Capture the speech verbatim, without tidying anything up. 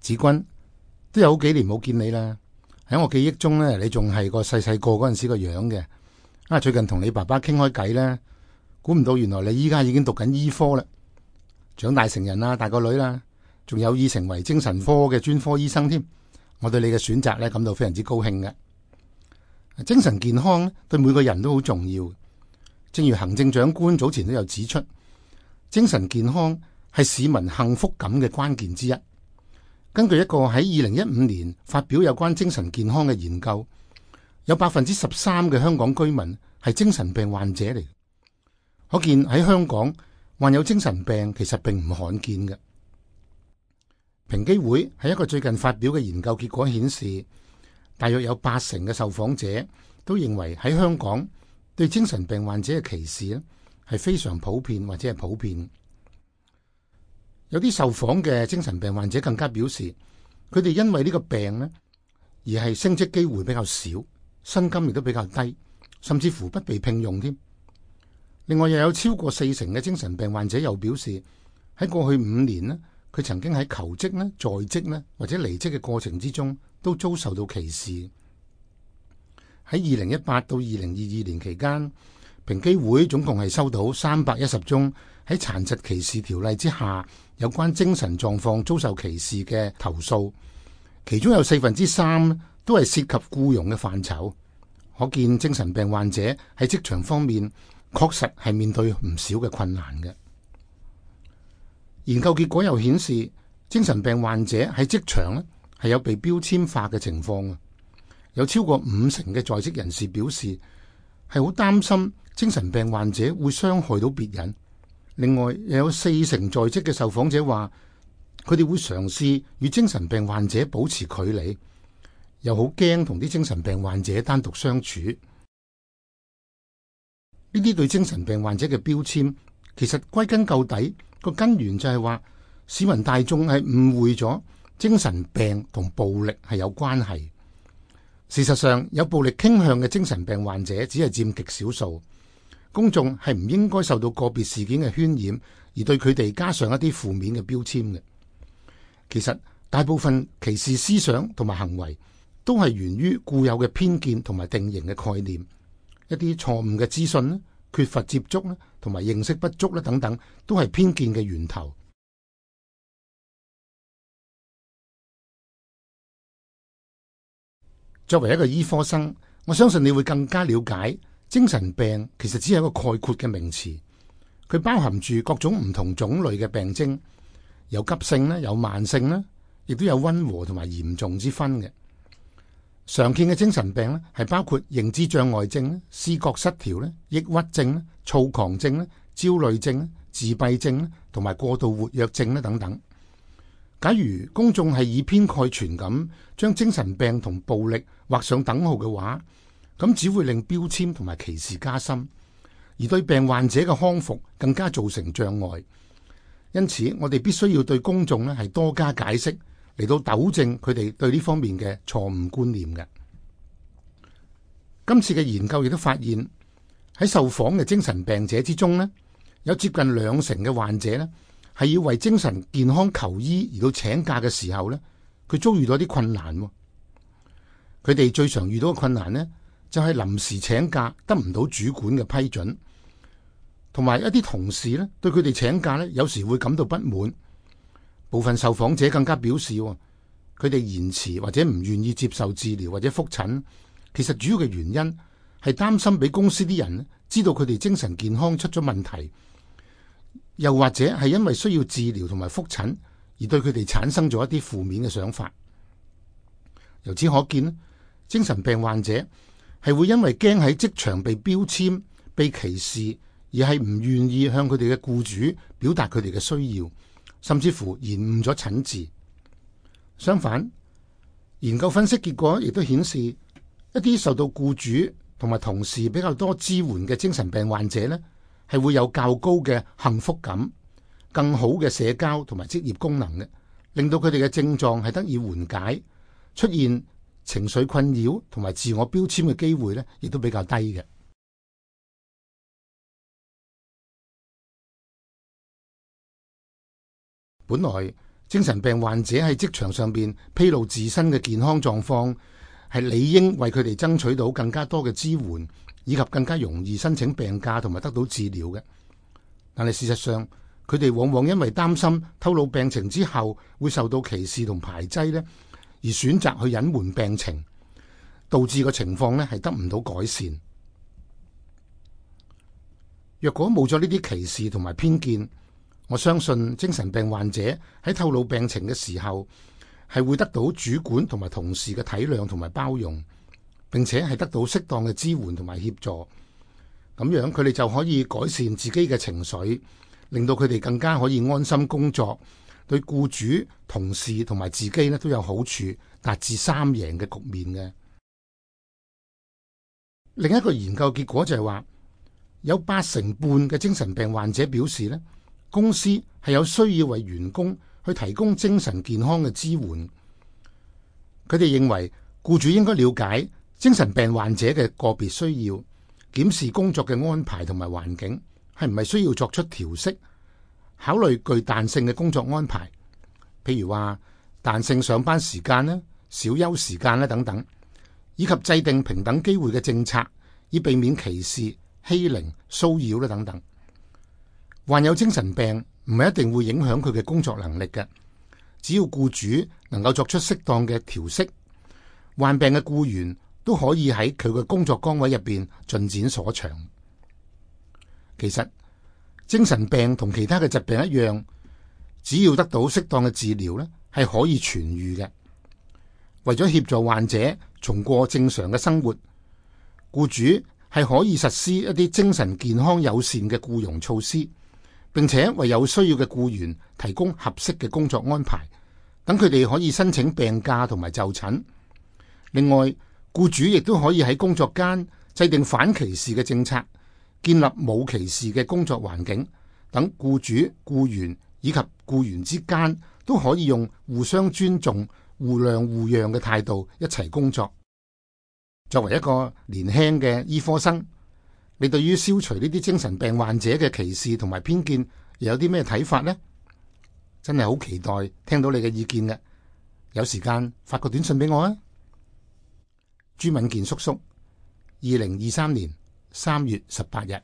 子君，都有好幾年冇見你啦。喺我記憶中咧，你仲係個細細個嗰陣時個樣嘅。啊，最近同你爸爸傾開偈咧，估唔到原來你依家已經讀緊醫科啦，長大成人啦，大個女啦，仲有意成為精神科嘅專科醫生添。我對你嘅選擇咧感到非常之高興嘅。精神健康對每個人都好重要，正如行政長官早前都有指出，精神健康係市民幸福感嘅關鍵之一。根據一個喺二零一五年發表有關精神健康嘅研究，有百分之十三嘅香港居民係精神病患者嚟，可見喺香港患有精神病其實並唔罕見嘅。平機會喺一個最近發表嘅研究結果顯示，大約有八成嘅受訪者都認為喺香港對精神病患者嘅歧視咧係非常普遍或者係普遍。有啲受訪嘅精神病患者更加表示，佢哋因為呢個病咧，而係升職機會比較少，薪金亦都比較低，甚至乎不被聘用添。另外又有超過四成嘅精神病患者又表示，喺過去五年咧，佢曾經喺求職咧、在職咧或者離職嘅過程之中，都遭受到歧視。喺二零一八到二零二二年期間，平機會總共係收到三百一十宗喺殘疾歧視條例之下有關精神狀況遭受歧視嘅投訴，其中有四分之三都係涉及僱傭嘅範疇。可見精神病患者喺職場方面確實係面對唔少嘅困難嘅。研究結果又顯示，精神病患者喺職場咧係有被標籤化嘅情況啊！有超過五成嘅在職人士表示係好擔心精神病患者會傷害到別人。另外，又有四成在職嘅受訪者話，佢哋會嘗試與精神病患者保持距離，又好驚同啲精神病患者單獨相處。呢啲對精神病患者嘅標籤，其實歸根究底個根源就係話，市民大眾係誤會咗精神病同暴力係有關係。事實上，有暴力傾向嘅精神病患者只係佔極少數。公眾係唔應該受到個別事件嘅渲染，而對佢哋加上一啲負面嘅標籤嘅。其實大部分歧視思想同埋行為都係源於固有嘅偏見同埋定型嘅概念，一啲錯誤嘅資訊咧、缺乏接觸咧同埋認識不足咧等等，都係偏見嘅源頭。作為一個醫科生，我相信你會更加了解精神病其實只係一個概括嘅名詞，佢包含住各種唔同種類嘅病徵，有急性咧，有慢性咧，亦都有溫和同埋嚴重之分嘅。常見嘅精神病咧係包括認知障礙症咧、思覺失調咧、抑鬱症咧、躁狂症咧、焦慮症咧、自閉症咧同埋過度活躍症咧等等。假如公眾係以偏概全咁將精神病同暴力畫上等號嘅話，咁只會令標籤同埋歧視加深，而對病患者嘅康復更加造成障礙。因此，我哋必須要對公眾咧係多加解釋，嚟到糾正佢哋對呢方面嘅錯誤觀念嘅。今次嘅研究亦都發現，喺受訪嘅精神病者之中咧，有接近兩成嘅患者咧係要為精神健康求醫而到請假嘅時候咧，佢遭遇到啲困難。佢哋最常遇到嘅困難呢，就係臨時請假得唔到主管嘅批准，同埋一啲同事咧對佢哋請假咧，有時會感到不滿。部分受訪者更加表示，佢哋延遲或者唔願意接受治療或者覆診，其實主要嘅原因係擔心俾公司啲人知道佢哋精神健康出咗問題，又或者係因為需要治療同埋覆診而對佢哋產生咗一啲負面嘅想法。由此可見，精神病患者係會因為驚喺職場被標籤、被歧視，而係唔願意向佢哋嘅僱主表達佢哋嘅需要，甚至乎延誤咗診治。相反，研究分析結果亦都顯示，一啲受到僱主同埋同事比較多支援嘅精神病患者呢，係會有較高嘅幸福感、更好嘅社交同埋職業功能嘅，令到佢哋嘅症狀係得以緩解，出現情緒困擾同埋自我標籤嘅機會呢，亦都比較低嘅。本來精神病患者喺職場上邊披露自身嘅健康狀況，係理應為佢哋爭取到更加多嘅支援，以及更加容易申請病假同埋得到治療嘅。但係事實上，佢哋往往因為擔心透露病情之後會受到歧視同排擠呢，而選擇去隱瞞病情，導致個情況呢係得唔到改善。若果冇咗呢啲歧視同埋偏見，我相信精神病患者喺透露病情嘅時候係會得到主管同埋同事嘅體諒同埋包容，並且係得到適當嘅支援同埋協助。咁樣佢哋就可以改善自己嘅情緒，令到佢哋更加可以安心工作，對僱主、同事同埋自己呢都有好處，達至三贏嘅局面嘅。另一個研究結果就係話，有八成半嘅精神病患者表示呢，公司係有需要為員工去提供精神健康嘅支援。佢哋認為僱主應該了解精神病患者嘅個別需要，檢視工作嘅安排同埋環境係唔係需要作出調適，考慮具彈性嘅工作安排，譬如話彈性上班時間啦、小休時間啦等等，以及制定平等機會嘅政策，以避免歧視、欺凌、騷擾啦等等。患有精神病唔係一定會影響佢嘅工作能力嘅，只要僱主能夠作出適當嘅調適，患病嘅僱員都可以喺佢嘅工作崗位入邊盡展所長。其實精神病同其他嘅疾病一樣，只要得到適當嘅治療咧，係可以痊癒嘅。為咗協助患者重過正常嘅生活，僱主係可以實施一啲精神健康友善嘅僱傭措施，並且為有需要嘅僱員提供合適嘅工作安排，等佢哋可以申請病假同埋就診。另外，僱主亦都可以喺工作間制定反歧視嘅政策，建立冇歧視嘅工作環境，等僱主、僱員以及僱員之間都可以用互相尊重、互諒互讓嘅態度一齊工作。作為一個年輕嘅醫科生，你對於消除呢啲精神病患者嘅歧視同埋偏見又有啲咩睇法呢？真係好期待聽到你嘅意見嘅。有時間發個短信俾我啊！朱敏健叔叔，二零二三年三月十八日。